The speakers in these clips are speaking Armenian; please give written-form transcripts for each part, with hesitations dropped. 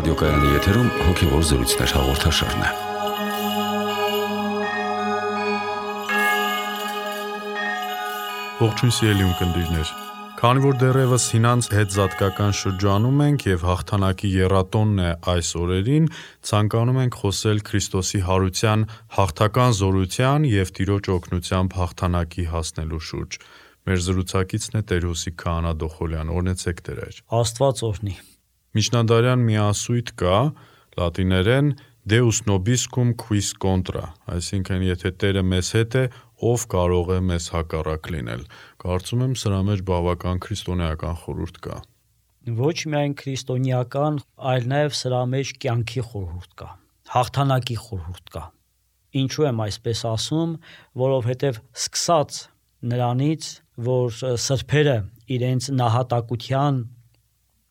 Ռադիոկայանի եթերում հոգևոր զրույցներ հաղորդաշարն է։ Ողջույն սիրելի ունկնդիրներ։ Քանի որ դեռևս հինանց հետզատկական շրջանում ենք եւ հաղթանակի եռատոնն է այս օրերին, ցանկանում ենք խոսել Քրիստոսի հարության հաղթական զորության եւ Տիրոջ օգնությամբ հաղթանակի հասնելու շուրջ։ Մեր զրուցակիցն է Տեր Հոսիկ Քահանա Դոխոլյան։ Օրհնեցեք Տեր։ Աստված օրհնի։ Միջնադարյան մի ասույթ կա, լատիներեն Deus nobiscum quis contra, այսինքն եթե Տերը մեզ հետ է, ով կարող է մեզ հակառակ լինել։ Կարծում եմ սրա մեջ բավական քրիստոնեական խորհուրդ կա։ Ոչ միայն քրիստոնեական, այլ նաև սրա մեջ կյանքի խորհուրդ կա, հաղթանակի խորհուրդ կա։ Ինչու եմ այսպես ասում, որովհետև սկսած նրանից, որ սրբերը իրենց նահատակության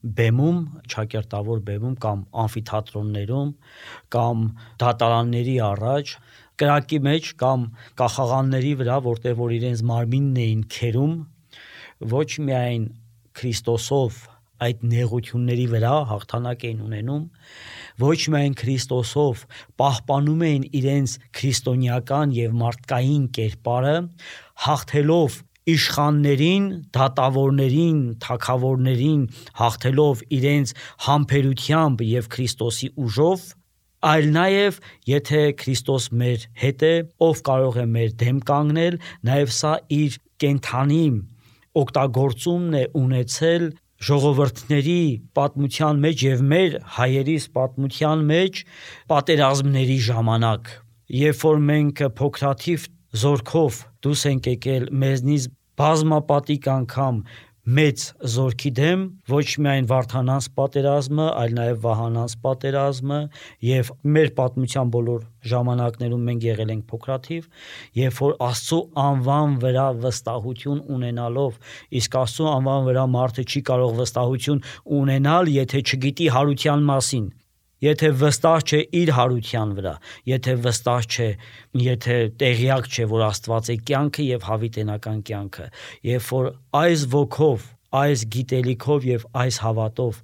բեմում, ճակերտավոր բեմում կամ ամֆիթատրոններում կամ դատարանների առաջ, կրակի մեջ կամ կախաղանների վրա, որտեղ որ իրենց մարմինն էին քերում, ոչ միայն Քրիստոսով այդ նեղությունների վրա հաղթանակ էին ունենում, ոչ միայն Քրիստոսով պահպանում էին իրենց քրիստոնեական եւ մարդկային կերպարը, հաղթելով իշխաններին, դատավորներին, թագավորներին, հաղթելով իրենց համբերությամբ եւ Քրիստոսի ուժով, այլ նաեւ եթե Քրիստոս մեր հետ է, ով կարող է մեր դեմ կանգնել, նաեւ սա իր կենթանի օգտագործումն է ունեցել ժողովրդների պատմության մեջ եւ մեր հայերիս պատմության մեջ պատերազմների ժամանակ, երբ որ մենք փոքրաթիվ զորքով դուրս ենք եկել մեզնից բազմապատիկ անգամ մեծ զորքի դեմ, ոչ միայն Վարդանանց պատերազմը, այլ նաև Վահանանց պատերազմը եւ մեր պատմության բոլոր ժամանակներում մենք եղել ենք փոքրաթիվ, երբ որ Աստծո անվան վրա վստահություն ունենալով, իսկ Աստծո անվան վրա մարդը չի կարող վստահություն ունենալ, եթե չգիտի հարության մասին, եթե վստահ չէ իր հարության վրա, եթե վստահ չէ, եթե տեղյակ չէ, որ Աստված է կյանքը եւ հավիտենական կյանքը, երբ որ այս ոգով, այս գիտելիքով եւ այս հավատով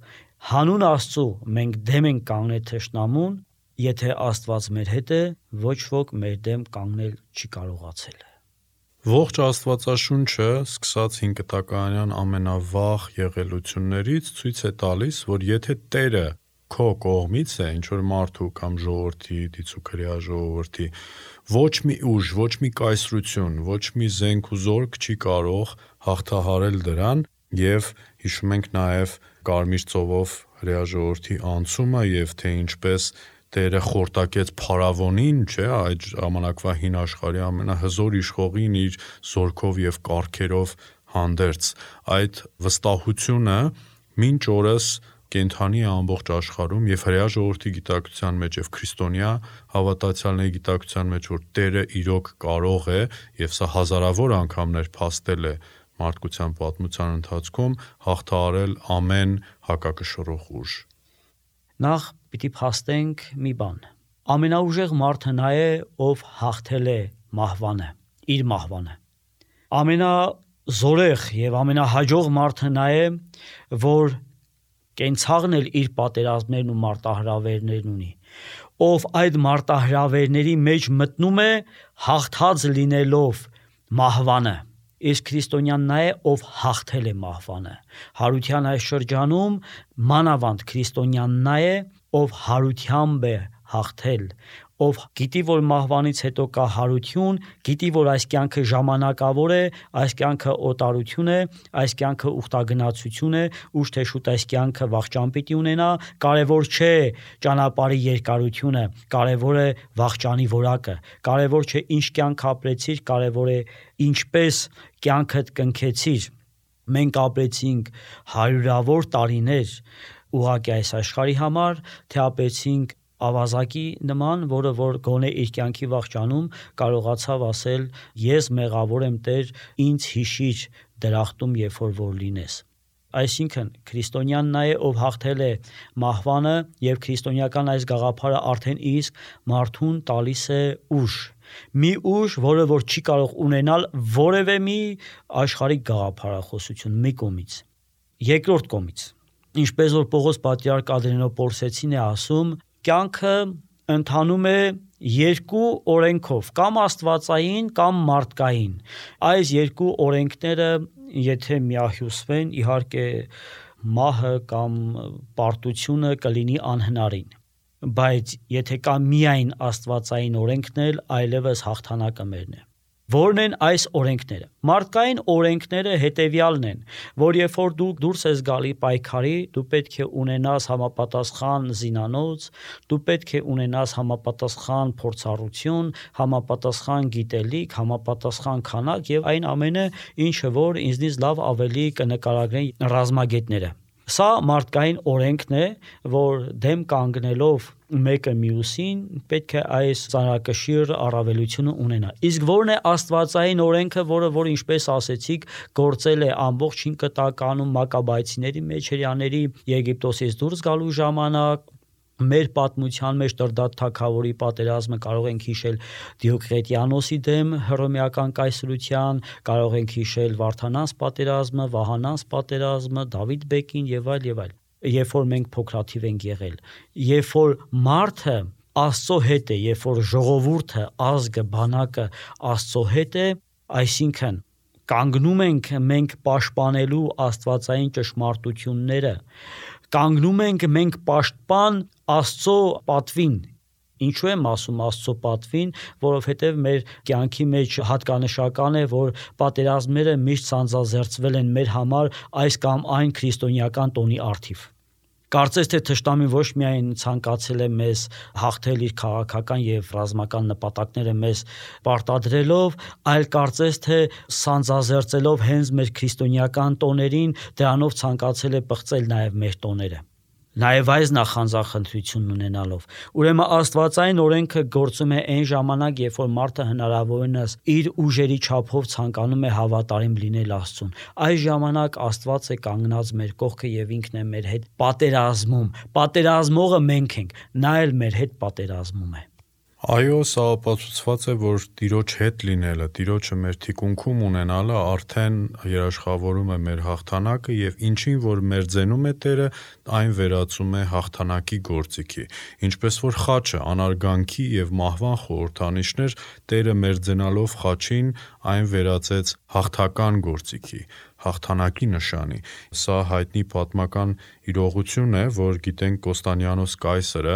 հանուն Աստծո մենք դեմ ենք կանգնել թշնամուն, եթե Աստված մեր հետ է, ոչ ոք մեր դեմ կանգնել չի կարողացել։ Ողջ Աստվածաշունչը, սկսած 5 կտականյան ամենավաղ եղելություններից ցույց է տալիս, որ եթե Տերը քո կողմից է, ինչ որ մարդու կամ ժողովրդի, դիցուքրյա ժողովրդի, ոչ մի ուժ, ոչ մի կայսրություն, ոչ մի զենք ու զորք չի կարող հաղթահարել դրան, եւ հիշում ենք նաեւ Կարմիր ծովով հրեա ժողովրդի անցումը եւ թե ինչպես Տերը խորտակեց Փարավոնին, չէ, այդ ժամանակվա հին աշխարհի ամենահզոր իշխողին իր զորքով եւ կառքերով հանդերձ։ Այդ վստահությունը մինչ օրս կենթանի ամբողջ աշխարհում եւ հրեա ժողովրդի գիտակցության մեջ եւ քրիստոնյա հավատացյալների գիտակցության մեջ, որ Տերը իրոք կարող է եւ սա հազարավոր անգամներ փաստել է մարդկության պատմության ընթացքում հաղթահարել ամեն հակակշռող ուժ։ Նախ պիտի փաստենք մի բան։ Ամենաուժեղ մարդը նա է, ով հաղթել է մահվանը, իր մահվանը։ Ամենազորեղ եւ ամենահաջող մարդը նա է, որ կենցաղն էլ իր պատերազմներն ու մարտահրավերներն ունի, ով այդ մարտահրավերների մեջ մտնում է հաղթած լինելով մահվանը, իսկ քրիստոնյան նա է, ով հաղթել է մահվանը։ Հարության այս շրջանում մանավանդ քրիստոնյան նա է, ով հարությամբ է հաղթել, ով գիտի, որ մահվանից հետո կա հարություն, գիտի, որ այս կյանքը ժամանակավոր է, այս կյանքը օտարություն է, այս կյանքը ուխտագնացություն է, ուշ թե շուտ այս կյանքը վախճան պիտի ունենա, կարևոր չէ ճանապարհի երկարությունը, կարևոր է վախճանի որակը, կարևոր չէ ինչ կյանք ապրեցիր, կարևոր է ինչպես կյանքդ կնքեցիր։ Մենք ապրեցինք հարյուրավոր տարիներ ուղղակի այս աշխարհի համար, թե ապրեցինք ավազակի նման, որը որ գոնե իր կյանքի վախճանում կարողացավ ասել ես մեղավոր եմ Տեր, ինձ հիշիր դրախտում, երբ որ լինես։ Այսինքն քրիստոնյան նա է, ով հաղթել է մահվանը եւ քրիստոնեական այս գաղափարը արդեն իսկ մարդուն տալիս է ուժ, մի ուժ, որը որ չի կարող ունենալ որևէ մի աշխարհիկ գաղափարախոսություն մի կողմից։ Երկրորդ կողմից ինչպես որ Պողոս պատրիարք Ադրենոպոլսեցին է ասում, կյանքը ընթանում է երկու օրենքով, կամ աստվածային, կամ մարդկային։ Այս երկու օրենքները եթե միահյուսվեն, իհարկե մահը կամ պարտությունը կլինի անհնարին։ Բայց եթե կա միայն աստվածային օրենքն էլ, այլևս հաղթանակը մերն է։ Որն են այս օրենքները։ Մարդկային օրենքները հետևյալն են, որ երբ որ դու դուրս ես գալի պայքարի, դու պետք է ունենաս համապատասխան զինանոց, դու պետք է ունենաս համապատասխան փորձառություն, համապատասխան գիտելիք, համապատասխան քանակ եւ այն ամենը, ինչը որ ինձնից լավ ավելի կնկարագրեն ռազմագետները։ Սա մարդկային օրենքն է, որ դեմ կանգնելով մեկը մյուսին պետք է այս ծանրակշիռ առավելությունը ունենա։ Իսկ որն է աստվածային օրենքը, որ ինչպես ասեցիք, գործել է ամբողջ 5 տականում Մակաբայցիների մեջ հрьяաների Եգիպտոսից դուրս գալու ժամանակ, մեր պատմության մեջ Տրդատ թագավորի պատերազմը կարող ենք հիշել Դիոկլետիանոսի դեմ հռոմեական կայսրության, կարող ենք հիշել Վարդանանց պատերազմը, Վահանանց պատերազմը, Դավիթ բեկին եւ այլ եւ այլ։ Երբ որ մենք փոքրաթիվ ենք եղել, երբ որ մարդը Աստծո հետ է, երբ որ ժողովուրդը, ազգը, բանակը Աստծո հետ է, այսինքն կանգնում ենք մենք պաշտպանելու աստվածային ճշմարտությունները, կանգնում ենք մենք պաշտպան Աստծո պատվին։ Ինչու եմ ասում Աստծո պատվին, որովհետև մեր կյանքի մեջ հատկանշական է, որ պատերազմները միշտ սանձազերծվել են մեր համար այս կամ այն քրիստոնեական տոնի առթիվ։ Կարծես թե թշնամին ոչ միայն ցանկացել է մեզ հաղթել իր քաղաքական եւ ռազմական նպատակները մեզ պարտադրելով, այլ կարծես թե սանձազերծելով հենց մեր քրիստոնեական տոներին, դրանով ցանկացել է պղծել նաեւ մեր տոները։ Նաև այս նախանձախնդրությունն ունենալով։ Ուրեմն աստվածային օրենքը գործում է այն ժամանակ, երբ որ մարդը հնարավորինս իր ուժերի չափով ցանկանում է հավատարիմ լինել Աստծուն։ Այս ժամանակ Աստված է կանգնած մեր կողքը եւ ինքն է մեր հետ պատերազմում։ Պատերազմողը մենք ենք, նա էլ մեր հետ պատերազմում է։ Այո, սա ապացուցված է, որ Տիրոջ հետ լինելը, Տիրոջը մեր թիկունքում ունենալը արդեն երաշխավորում է մեր հաղթանակը եւ ինչին որ մերձենում է Տերը, այն վերածում է հաղթանակի գործիքի։ Ինչպես որ խաչը անարգանքի եւ մահվան խորհրդանիշներ, Տերը մերձենալով խաչին այն վերածեց հաղթական գործիքի, հաղթանակի նշանի։ Սա հայտնի պատմական իրողություն է, որ գիտենք Կոստանդիանոս կայսրը,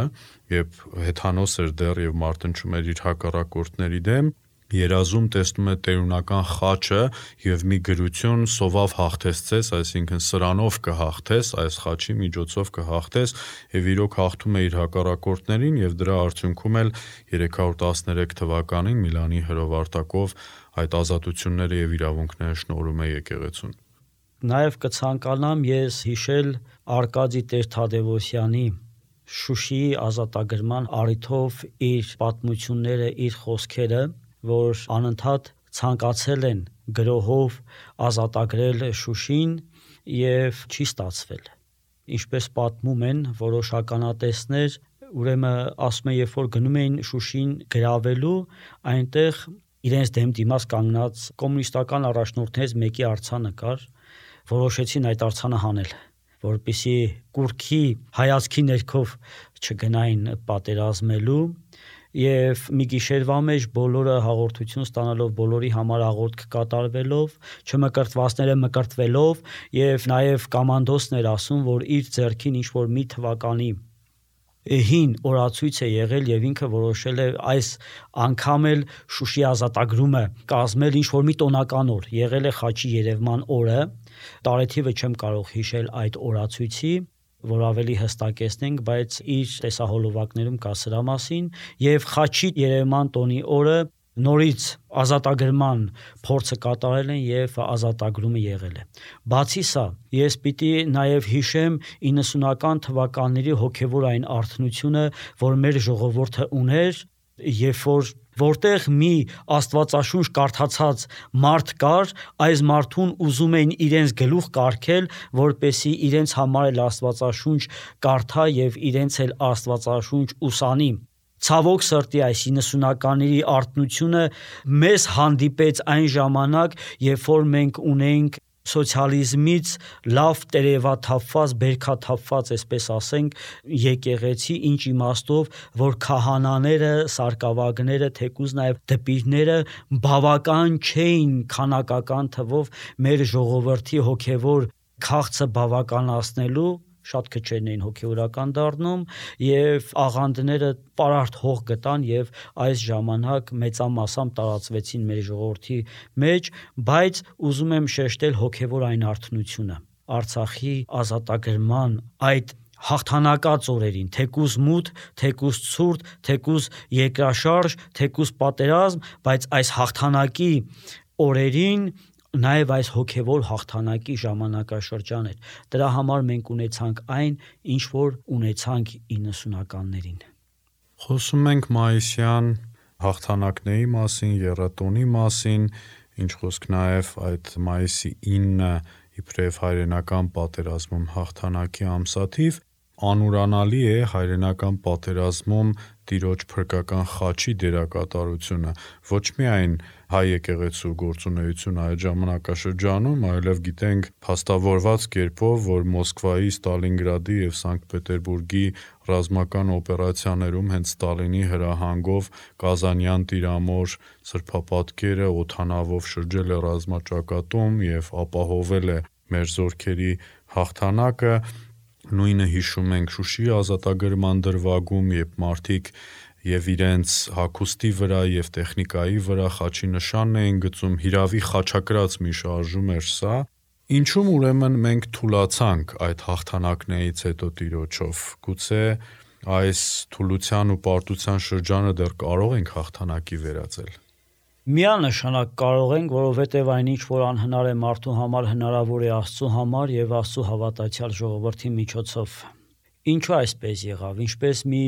երբ հեթանոս էր դեռ եւ մարտնչում էր իր հակառակորդների դեմ, երազում տեսնում է տերունական խաչը եւ մի գրություն սովավ հաղթեցես, այսինքն սրանով կհաղթես, այս խաչի միջոցով կհաղթես եւ իրոք հաղթում է իր հակառակորդներին եւ դրա արդյունքում էլ 313 թվականին Միլանի հրովարտակով այդ ազատությունները եւ իրավունքները շնորհում է եկեղեցուն։ Նաեւ կցանկանամ ես հիշել Արկադի Տեր-Թադևոսյանի Շուշիի ազատագրման առիթով իր պատմությունները, իր խոսքերը, որ անընդհատ ցանկացել են գրոհով ազատագրել Շուշին եւ չի ստացվել։ Ինչպես պատմում են որոշ ականատեսներ, ուրեմն ասում են, երբ որ գնում էին Շուշին գրավելու, այնտեղ իրենց դեմ դիմաց կանգնած կոմունիստական առաջնորդներից մեկի արձանը կար, որոշեցին այդ արձանը հանել, որպեսզի կուրքի հայացքի ներքով չգնային պատերազմելու եւ մի գիշերվա մեջ բոլորը հաղորդություն ստանալով, բոլորի համար աղոթք կատարվելով, չմկրտվածները մկրտվելով եւ նաեւ կոմանդոսն էր ասում, որ իր ձեռքին ինչ որ մի թվականի հին օրացույց է եղել եւ ինքը որոշել է այս անգամ էլ Շուշի ազատագրումը կազմել ինչ որ մի տոնական օր, եղել է խաչի երևման օրը, տարեթիվը չեմ կարող հիշել այդ օրացույցի, որ ավելի հստակեցնենք, բայց իր տեսահոլովակներում կա սրա մասին եւ խաչի երևման տոնի օրը նորից ազատագրման փորձը կատարել են եւ ազատագրումը եղել է։ Բացի սա, ես պիտի նաեւ հիշեմ 90-ական թվականների հոգեվոր այն արթնությունը, որ մեր ժողովուրդը ուներ, երբ որտեղ մի աստվածաշունչ կարդացած մարդ կար, այս մարդուն ուզում էին իրենց գլուխ կարգել, որպեսի իրենց համար էլ աստվածաշունչ կարդա եւ իրենց էլ աստվածաշունչ ուսանի։ Ցավոք սրտի այս 90-ականների արթնությունը մեզ հանդիպեց այն ժամանակ, երբ որ մենք ունեինք սոցիալիզմից լավ տերևաթափված, բերքաթափված, այսպես ասենք, եկեղեցի, ինչ իմաստով, որ քահանաները, սարկավագները, թեկուզ նաև դպիրները բավական չէին քանակական թվով մեր ժողովրդի հոգևոր քաղցը բավականացնելու, շատ քչերն էին հոգևորական դառնում եւ աղանդները պարարտ հող գտան եւ այս ժամանակ մեծամասամբ տարածվեցին մեր ժողովրդի մեջ, բայց ուզում եմ շեշտել հոգևոր այն արթնությունը Արցախի ազատագրման այդ հաղթանակած օրերին, թեկուզ մութ, թեկուզ ցուրտ, թեկուզ երկրաշարժ, թեկուզ պատերազմ, բայց այս հաղթանակի օրերին նաև այս հոգևոր հաղթանակի ժամանակաշրջան էր։ Դրա համար մենք ունեցանք այն, ինչ որ ունեցանք 90-ականներին։ Խոսում ենք մայիսյան հաղթանակների մասին, եռատոնի մասին, ինչ խոսք նաև այդ մայիսի 9-ը իբրև հայրենական պատերազմում հաղթանակի ամսաթիվ, անուրանալի է հայրենական պատերազմում Տիրոջ փրկական խաչի դերակատարությունը, ոչ միայն հայ եկեղեցու գործունեությունը այդ ժամանակաշրջանում, այլև գիտենք փաստավորված կերպով, որ Մոսկվայի, Ստալինգրադի եւ Սանկտ Պետերբուրգի ռազմական օպերացիաներում հենց Ստալինի հրահանգով Կազանյան տիրամոր սրբապատկերը օդանավով շրջել է ռազմաճակատում եւ ապահովել է մեր զորքերի հաղթանակը։ Նույնը հիշում ենք Շուշիի ազատագրման դրվագում, երբ մարդիկ եւ իրենց հագուստի վրա եւ տեխնիկայի վրա խաչի նշանն էին գծում, հիրավի խաչակրած մի շարժում էր սա։ Ինչու՞մ ուրեմն մենք թուլացանք այդ հաղթանակներից հետո Տիրոջով։ Գուցե այս թուլության ու պարտության շրջանը դեռ կարող ենք հաղթանակի վերածել։ Միանշանակ կարող ենք, որովհետև այնինչ որ անհնար է մարդու համար, հնարավոր է Աստծու համար եւ Աստծու հավատացյալ ժողովրդի միջոցով։ Ինչու այսպես եղավ։ Ինչպես մի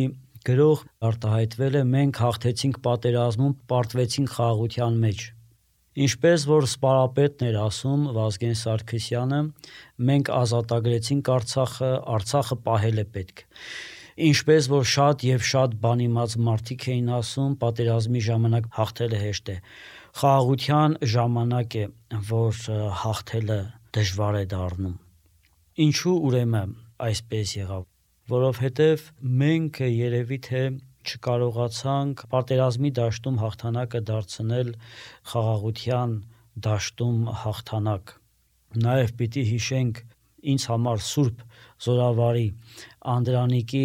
գրող արտահայտվել է, մենք հաղթեցինք պատերազմում, պարտվեցինք խաղաղության մեջ։ Ինչպես որ սպարապետն էր ասում Վազգեն Սարգսյանը, մենք ազատագրեցինք Արցախը, Արցախը պահել է պետք։ Ինչպես որ շատ եւ շատ բանիմաց մարդիկ էին ասում, պատերազմի ժամանակ հաղթելը հեշտ է։ Խաղաղության ժամանակ է, որ հաղթելը դժվար է դառնում։ Ինչու ուրեմն այսպես եղավ։ Որովհետեւ մենք երևի թե չկարողացանք պատերազմի դաշտում հաղթանակը դարձնել խաղաղության դաշտում հաղթանակ։ Նաեւ պիտի հիշենք ինձ համար Սուրբ Զորավարի Անդրանիկի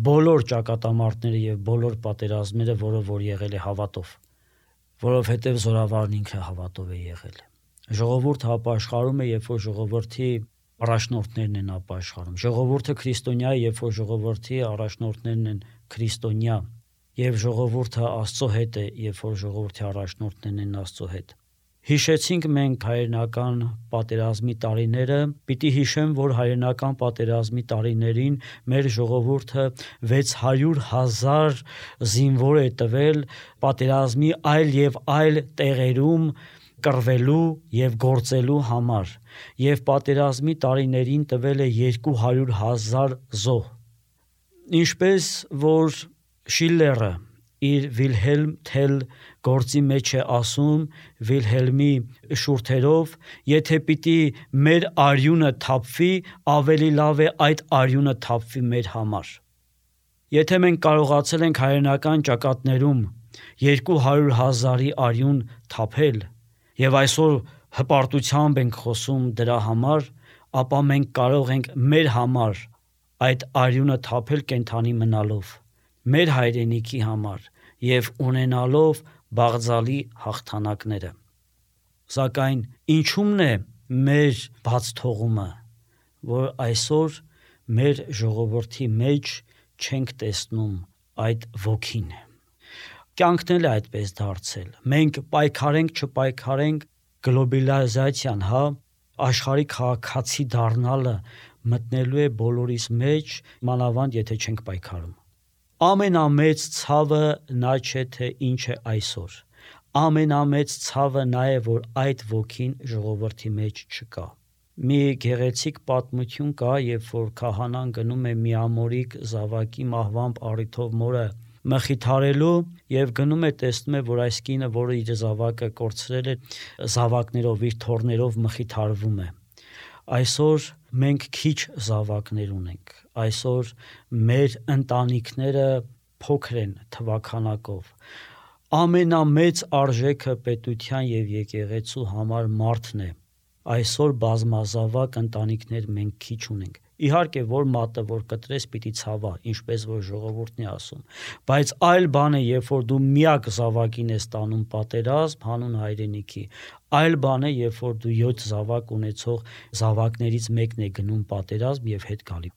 բոլոր ճակատամարտները եւ բոլոր պատերազմները, որը որ եղել է հավատով, որովհետեւ Զորավարն ինքը հավատով է եղել։ Ժողովուրդը ապաշխարում է, երբ որ ժողովրդի առաջնորդներն են ապաշխարում։ Ժողովուրդը քրիստոնյա է, երբ որ ժողովրդի առաջնորդներն են քրիստոնյա, եւ ժողովուրդը Աստծո հետ է, երբ որ ժողովրդի առաջնորդներն են Աստծո հետ։ Հիշեցինք մենք հայրենական պատերազմի տարիները, պիտի հիշեմ, որ հայրենական պատերազմի տարիներին մեր ժողովուրդը 600,000 զինվոր է տվել պատերազմի այլ եւ այլ տեղերում կռվելու եւ գործելու համար, եւ պատերազմի տարիներին տվել է 200,000 զոհ։ Ինչպես որ Շիլլերը իր Վիլհելմ Թել գործի մեջ է ասում Վիլհելմի շուրթերով, եթե պիտի մեր արյունը թափվի, ավելի լավ է այդ արյունը թափվի մեր համար։ Եթե մենք կարողացել ենք հայրենական ճակատներում 200,000-ի արյուն թափել եւ այսօր հպարտությամբ ենք խոսում դրա համար, ապա մենք կարող ենք մեր համար այդ արյունը թափել կենթանի մնալով, մեր հայրենիքի համար եւ ունենալով բաղձալի հաղթանակները։ Սակայն ինչումն է մեր բաց թողումը, որ այսօր մեր ժողովրդի մեջ չենք տեսնում այդ ոգին։ Կյանքն էլ է այդպես դարձել։ Մենք պայքարենք, չպայքարենք, գլոբալիզացիան, աշխարհի քաղաքացի դառնալը մտնելու է բոլորիս մեջ, մանավանդ եթե չենք պայքարում։ Ամենամեծ ցավը նա չէ թե ինչ է այսօր։ Ամենամեծ ցավը նա է, որ այդ ոգին ժողովրդի մեջ չկա։ Մի գեղեցիկ պատմություն կա, երբ որ քահանան գնում է միամորիկ զավակի մահվան առիթով մորը մխիթարելու եւ գնում է տեսնում է, որ այս կինը, որը իր զավակը կորցրել է, զավակներով իր թոռներով մխիթարվում է։ Այսօր մենք քիչ զավակներ ունենք։ Այսօր մեր ընտանիքները փոքր են թվաքանակով։ Ամենամեծ արժեքը պետության եւ եկեղեցու համար մարդն է։ Այսօր բազմազավակ ընտանիքներ մենք քիչ ունենք։ Իհարկե, որ մատը որ կտրես պիտի ցավա, ինչպես որ ժողովուրդն է ասում, բայց այլ բան է, երբ որ դու միակ զավակին ես տանում պատերազմ հանուն հայրենիքի, այլ բան է, երբ որ դու 7 զավակ ունեցող զավակներից մեկն է գնում պատերազմ եւ հետ գալի։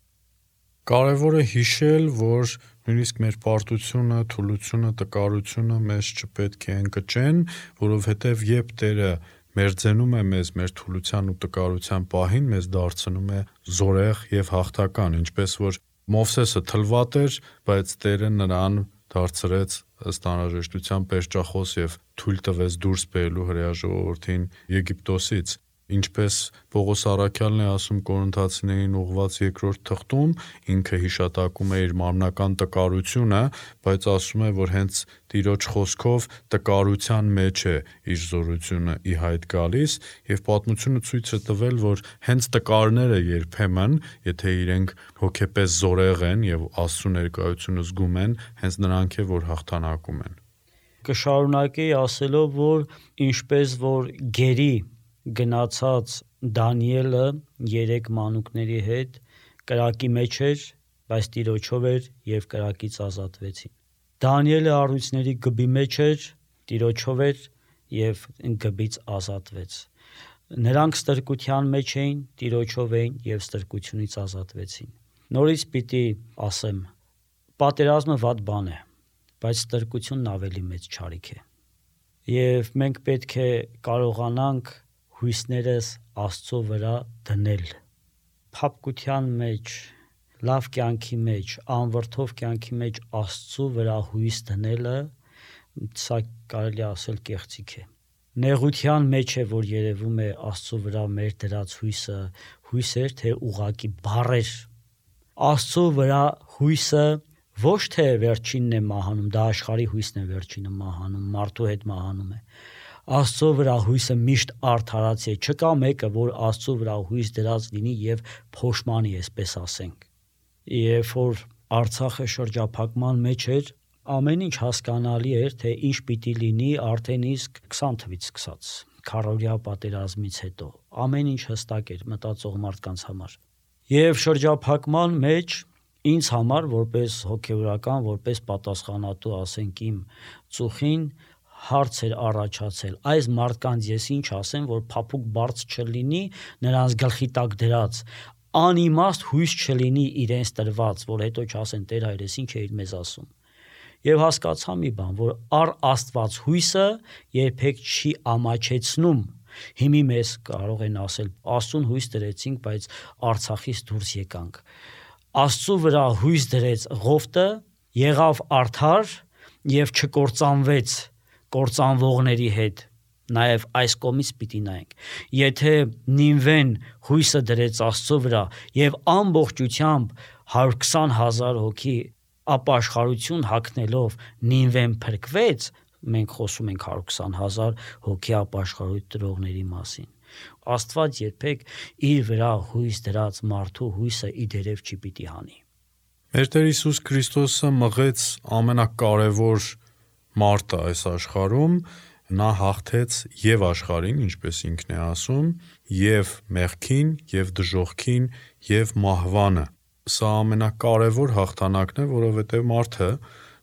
Կարևոր է հիշել, որ նույնիսկ մեր պարտությունը, թուլությունը, տկարությունը մեզ չպետք է ընկճեն, որովհետև երբ Տերը մերձենում է մեզ մեր թուլության ու տկարության պահին, մեզ դարձնում է զորեղ եւ հաղթական, ինչպես որ Մովսեսը թլվատ էր, բայց Տերը նրան դարձրեց ըստ անհրաժեշտության պերճախոս եւ թույլ տվեց դուրս բերելու հրեա ժողովրդին Եգիպտոսից, ինչպես Պողոս առաքյալն է ասում Կորինթացիներին ուղված 2-րդ թղթում, ինքը հիշատակում է իր մարմնական տկարությունը, բայց ասում է, որ հենց Տիրոջ խոսքով տկարության մեջ է իր զորությունը ի հայտ գալիս, եւ պատմությունը ցույց է տվել, որ հենց տկարները երբեմն, եթե իրենք հոգեպես զորեղ են եւ Աստծո ներկայությունը զգում են, հենց նրանք է, որ հաղթանակում են։ Կշարունակեի ասելով, որ ինչպես որ գերի գնացած Դանիելը 3 մանուկների հետ կրակի մեջ էր, բայց Տիրոջով էր եւ կրակից ազատվեցին։ Դանիելը առույցների գբի մեջ էր, Տիրոջով էր եւ գբից ազատվեց։ Նրանք ստրկության մեջ էին, Տիրոջով էին եւ ստրկությունից ազատվեցին։ Նորից պիտի ասեմ, պատերազմը վատ բան է, բայց ստրկությունն ավելի մեծ չարիք է։ Եվ մենք պետք է կարողանանք հույսներս Աստծո վրա դնել։ Փափկության մեջ, լավ կյանքի մեջ, անվրդով կյանքի մեջ Աստծո վրա հույս դնելը, սա կարելի ասել կեղծիք է։ Նեղության մեջ է, որ երևում է Աստծո վրա մեր դրած հույսը, հույսեր թե ուղակի բառեր։ Աստծո վրա հույսը ոչ թե վերջինն է մահանում, դա աշխարհի հույսն է վերջինը մահանում, մարդու հետ մահանում է։ Աստծո վրա հույսը միշտ արդարացի է, չկա մեկը, որ Աստծո վրա հույս դրած լինի եւ փոշմանի, այսպես ասենք։ Երբ որ Արցախը շրջափակման մեջ էր, ամեն ինչ հասկանալի էր, թե ինչ պիտի լինի արդեն իսկ 20 թվից սկսած, քառօրյա պատերազմից հետո։ Ամեն ինչ հստակ էր մտածող մարդկանց համար։ Եվ շրջափակման մեջ ինձ համար, որպես հոգեվորական, որպես պատասխանատու, ասենք իմ ծուխին, հարց էր առաջացել, այս մարդկանց ես ինչ ասեմ, որ փափուկ բարձ չլինի, նրանց գլխի տակ դրած, անիմաստ հույս չլինի իրենց տրված, որ հետո չասեն Տեր հայրես ինչ էիր մեզ ասում։ Եվ հասկացա մի բան, որ առ Աստված հույսը երբեք չի ամաչեցնում։ Հիմի մեզ կարող են ասել, Աստծուն հույս դրեցինք, բայց Արցախից դուրս եկանք։ Աստծու վրա հույս դրեց Ղովտը, եղավ արդար եւ չկործանվեց կործանվողների հետ, նաև այս կողմից պիտի նայենք։ Եթե Նինվեն հույսը դրեց Աստծո վրա եւ ամբողջությամբ 120,000 հոգի ապաշխարություն հագնելով Նինվեն փրկվեց, մենք խոսում ենք 120,000 հոգի ապաշխարությունների մասին։ Աստված երբեք իր վրա հույս դրած մարդու հույսը իդերև չի պիտի հանի։ Մեր Տեր Հիսուս Քրիստոսը մղեց ամենակարևոր մարտը այս աշխարհում, նա հաղթեց եւ աշխարհին, ինչպես ինքն է ասում, եւ մեղքին, եւ դժոխքին, եւ մահվանը։ Սա ամենակարևոր հաղթանակն է, որովհետեւ մարդը,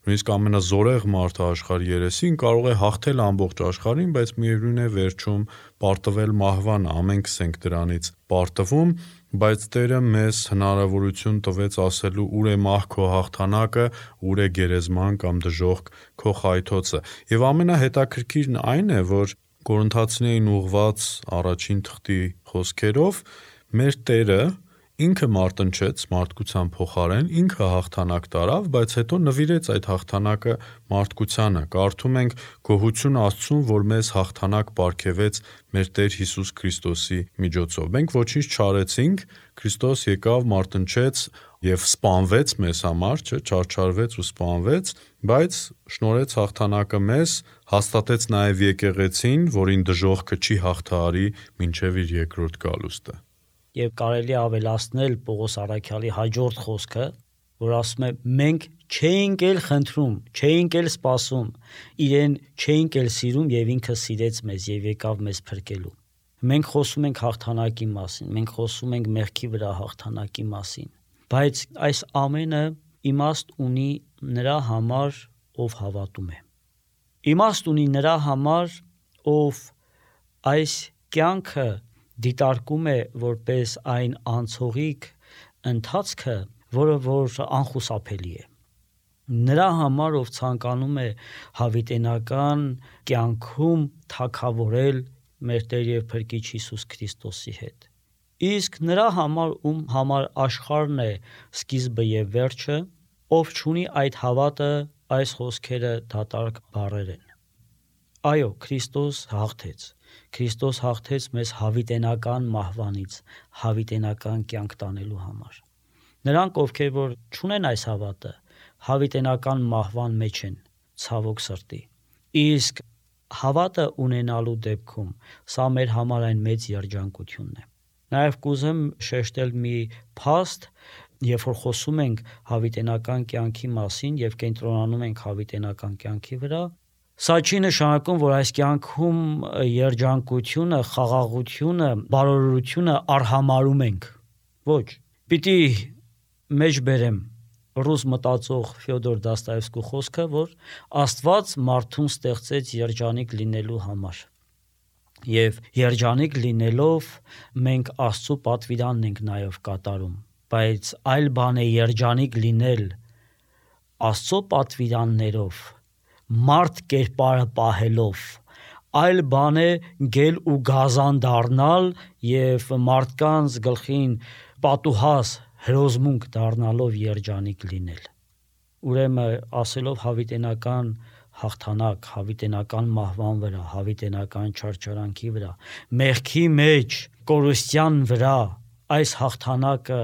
նույնիսկ ամենազորեղ մարդը աշխարհի երեսին կարող է հաղթել ամբողջ աշխարհին, բայց միևնույն է վերջում պարտվել մահվանը, ամենքս ենք դրանից պարտվում, բայց Տերը մեզ հնարավորություն տվեց ասելու ուր է մահ քո հաղթանակը, ուր է գերեզման կամ դժոխք քո խայթոցը։ Եվ ամենահետաքրքիրն այն է, որ Կորինթացիներին ուղված առաջին թղթի խոսքերով մեր Տերը ինքը մարտնչեց մարդկության փոխարեն, ինքը հաղթանակ տարավ, բայց հետո նվիրեց այդ հաղթանակը մարդկությանը։ Կարդում ենք գոհություն Աստծուն, որ մեզ հաղթանակ պարգևեց մեր Տեր Հիսուս Քրիստոսի միջոցով։ Մենք ոչինչ չարեցինք, Քրիստոս եկավ, մարտնչեց եւ սպանվեց մեզ համար, չարչարվեց ու սպանվեց, բայց շնորհեց հաղթանակը մեզ, հաստատեց նաեւ եկեղեցին, որին դժոխքը չի հաղթահարի մինչեւ իր երկրորդ գալուստը։ եւ կարելի ավելացնել Պողոս Առաքյալի հաջորդ խոսքը, որ ասում է մենք չէինք էլ խնդրում, չէինք էլ սպասում, իրեն չէինք էլ սիրում եւ ինքը սիրեց մեզ եւ եկավ մեզ փրկելու։ Մենք խոսում ենք հաղթանակի մասին, մենք խոսում ենք մեղքի վրա հաղթանակի մասին, բայց այս ամենը իմաստ ունի նրա համար, ով հավատում է։ Իմաստ ունի նրա համար, ով այս կյանքը դիտարկում է որպես այն անցողիկ ընթացքը, որը որ անխուսափելի է։ Նրա համար, ով ցանկանում է հավիտենական կյանքում թագավորել մեր Տեր եւ Փրկիչ Հիսուս Քրիստոսի հետ։ Իսկ նրա համար, ում համար աշխարհն է սկիզբը եւ վերջը, ով չունի այդ հավատը, այս խոսքերը դատարկ բառեր են։ Այո, Քրիստոս հաղթեց։ Քրիստոս հաղթեց մեզ հավիտենական մահվանից, հավիտենական կյանք տանելու համար։ Նրանք, ովքեր որ չունեն այս հավատը, հավիտենական մահվան մեջ են, ցավոք սրտի։ Իսկ հավատը ունենալու դեպքում սա մեր համար այն մեծ երջանկությունն է։ Նաև կուզեմ շեշտել մի փաստ, երբ որ խոսում ենք հավիտենական կյանքի մասին եւ կենտրոնանում ենք հավիտենական կյանքի վրա, սա չի նշանակում, որ այս կյանքում երջանկությունը, խաղաղությունը, բարօրությունը արհամարում ենք։ Ոչ, պիտի մեջ բերեմ ռուս մտածող Ֆյոդոր Դոստոևսկու խոսքը, որ Աստված մարդուն ստեղծեց երջանիկ լինելու համար։ Եվ երջանիկ լինելով մենք Աստծո պատվիրանն ենք նաև կատարում, բայց այլ բան է երջանիկ լինել Աստծո պատվիրաններով, մարդ կերպարը պահելով, այլ բան է գել ու գազան դառնալ եւ մարդկանց գլխին պատուհաս հրոզմունք դառնալով երջանիկ լինել։ Ուրեմն ասելով հավիտենական հաղթանակ, հավիտենական մահվան վրա, հավիտենական չարչարանքի վրա, մեղքի մեջ, կորուստյան վրա, այս հաղթանակը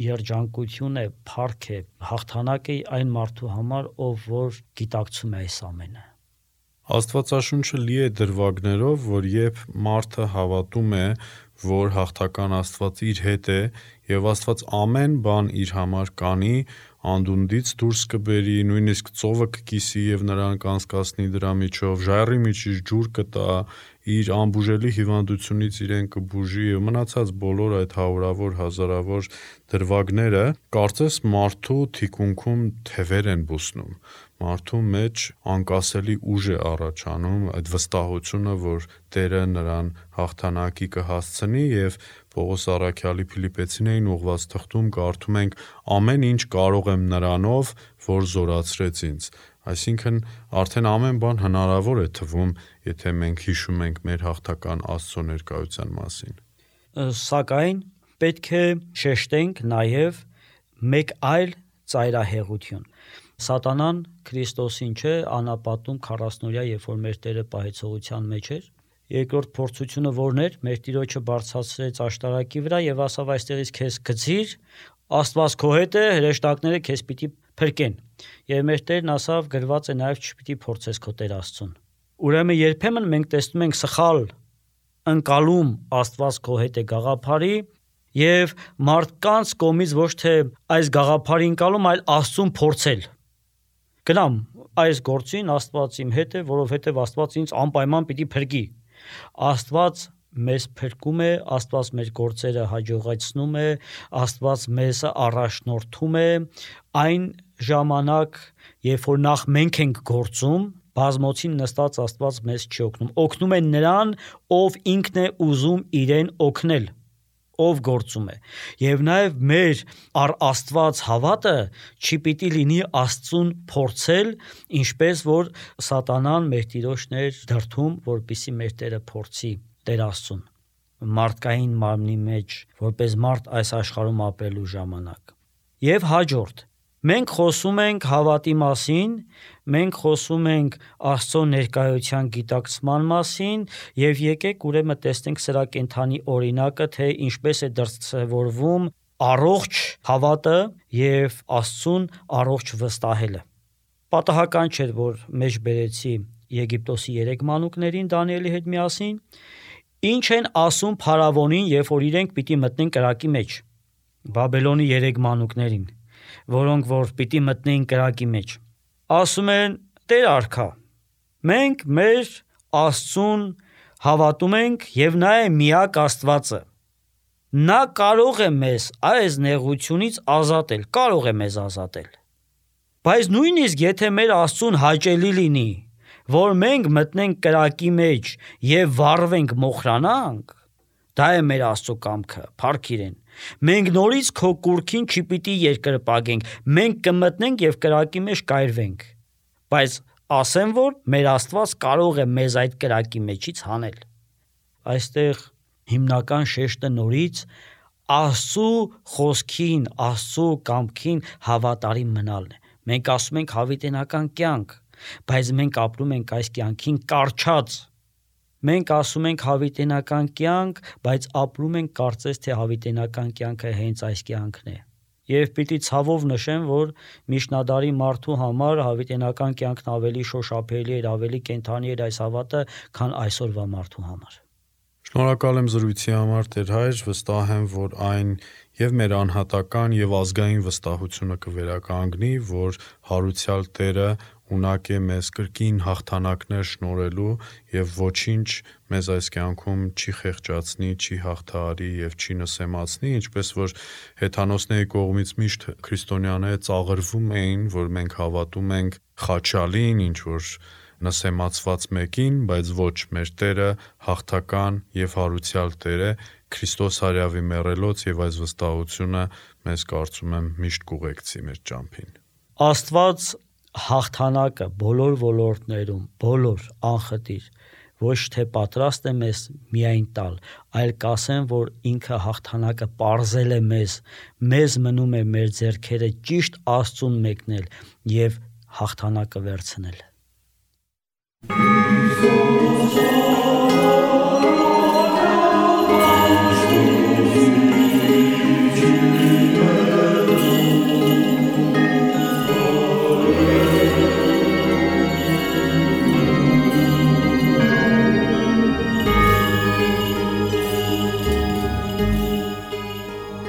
երջանկություն է, փառք է, հաղթանակ է այն մարդու համար, ով որ գիտակցում է այս ամենը։ Աստվածաշունչը լի է դրվագներով, որ երբ մարդը հավատում է, որ հաղթական Աստված իր հետ է եւ Աստված ամեն բան իր համար կանի, անդունդից դուրս կբերի, նույնիսկ ծովը կկիսի եւ նրան կանցկացնի դրա միջով, ժայռի միջից ջուր կտա, իր անբուժելի հիվանդությունից իրեն կբուժի եւ մնացած բոլոր այդ հարյուրավոր հազարավոր դրվագները, կարծես մարդու թիկունքում թևեր են բուսնում, մարդու մեջ անկասելի ուժ է առաջանում, այդ վստահությունը, որ Տերը նրան հաղթանակի կհասցնի եւ Պողոս Առաքյալի Փիլիպպեցիներին ուղված թղթում կարդում ենք ամեն ինչ կարող եմ նրանով, որ զորացրեց ինձ։ Այսինքն արդեն ամեն բան հնարավոր է թվում, եթե մենք հիշում ենք մեր հաղթական Աստծո ներկայության մասին։ Սակայն պետք է շեշտենք նաև մեկ այլ ծայրահեղություն։ Սատանան Քրիստոսին չէ անապատում 40-օրյա, երբ որ մեր Տերը պահեցողության մեջ էր, երկրորդ փորձությունը որն էր, մեր Տիրոջը բարձրացրեց աշտարակի վրա եւ ասավ այստեղից քեզ գցիր, Աստված քո հետ է, հրեշտակները քեզ պիտի փրկեն։ Եվ մեր Տերն ասավ գրված է նաեւ չպիտի փորձես քո Տեր Աստծուն։ Ուրեմն երբեմն մենք տեսնում ենք սխալ ընկալում Աստված քո հետ է գաղափարի եւ մարդկանց կողմից ոչ թե այս գաղափարի ընկալում, այլ Աստծուն փորձել։ Գնամ այս գործին Աստված իմ հետ է, որովհետեւ Աստված ինձ անպայման պիտի փրկի։ Աստված մեզ փրկում է, Աստված մեր գործերը հաջողացնում է, Աստված մեզ առաջնորդում է այն ժամանակ, երբ որ նախ մենք ենք գործում, բազմոցին նստած Աստված մեզ չի օգնում։ Օգնում է նրան, ով ինքն է ուզում իրեն օգնել, ով գործում է։ Եվ նաև մեր առ Աստված հավատը չի պիտի լինի Աստծուն փորձել, ինչպես որ սատանան մեր Տիրոջն էր դրդում, որպեսզի մեր Տերը փորձի Տեր Աստծուն մարդկային մարմնի մեջ, որպես մարդ այս աշխարհում ապրելու ժամանակ։ Եվ հաջորդ, մենք խոսում ենք հավատի մասին, մենք խոսում ենք Աստծո ներկայության գիտակցման մասին, եւ եկեք ուրեմն տեսնենք սրա կենթանի օրինակը, թե ինչպես է դրսևորվում առողջ հավատը եւ Աստծուն առողջ վստահելը։ Պատահական չէ, որ մեջ բերեցի Եգիպտոսի 3 մանուկներին Դանիելի հետ միասին, Ինչ են ասում փարավոնին, երբ որ իրենք պիտի մտնեն կրակի մեջ, Բաբելոնի 3 մանուկներին, որոնք որ պիտի մտնեին կրակի մեջ։ Ասում են. Տեր արքա, մենք մեր Աստծուն հավատում ենք եւ նա է միակ Աստվածը։ Նա կարող է մեզ այս նեղությունից ազատել, կարող է մեզ ազատել։ Բայց նույնիսկ եթե մեր Աստծուն հաճելի լինի, որ մենք մտնենք կրակի մեջ եւ վառվենք, մոխրանանք, դա է մեր Աստծո կամքը, փառք իրեն։ Մենք նորից քո կուրքին չպիտի երկրպագենք, մենք կմտնենք եւ կրակի մեջ կայրվենք։ Բայց ասեմ, որ մեր Աստված կարող է մեզ այդ կրակի մեջից հանել։ Այստեղ հիմնական շեշտը նորից Աստծո խոսքին, Աստծո կամքին հավատարիմ մնալն է։ Մենք ասում ենք հավիտենական կյանք, բայց մենք ապրում ենք այս կյանքին կառչած։ Մենք ասում ենք հավիտենական կյանք, բայց ապրում ենք կարծես թե հավիտենական կյանքը հենց այս կյանքն է։ Եվ պիտի ցավով նշեմ, որ միջնադարի մարդու համար հավիտենական կյանքն ավելի շոշափելի էր, ավելի կենդանի էր այս հավատը, քան այսօրվա մարդու համար։ Շնորհակալ եմ զրույցի համար, Տեր Հայր, վստահ եմ, որ այն եւ մեր անհատական եւ ազգային վստահությունը կվերականգնի, որ հարուցյալ Տերը ունակ է մեզ կրկին հաղթանակներ շնորհելու եւ ոչինչ մեզ այս կյանքում չի խեղճացնի, չի հաղթահարի եւ չի նսեմացնի, ինչպես որ հեթանոսների կողմից միշտ քրիստոնյաները ծաղրվում էին, որ մենք հավատում ենք խաչալին, ինչ որ նսեմացված մեկին, բայց ոչ, մեր Տերը հաղթական եւ հարուցյալ Տեր է, Քրիստոս հարյավի մեռելոց եւ այս վստահությունը մեզ կարծում եմ միշտ կուղեկցի մեր ճամփին։ Աստված հաղթանակը բոլոր ոլորտներում, բոլոր անխտիր ոչ թե պատրաստ է մեզ միայն տալ, այլ կասեմ, որ ինքը հաղթանակը պարզել է մեզ մնում է մեր ձեռքերը ճիշտ Աստծուն մեկնել եւ հաղթանակը վերցնել։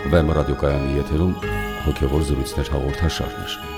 Վեմ ռադիոկայանի եթերում հոգևոր զրույցներ հաղորդաշարներ։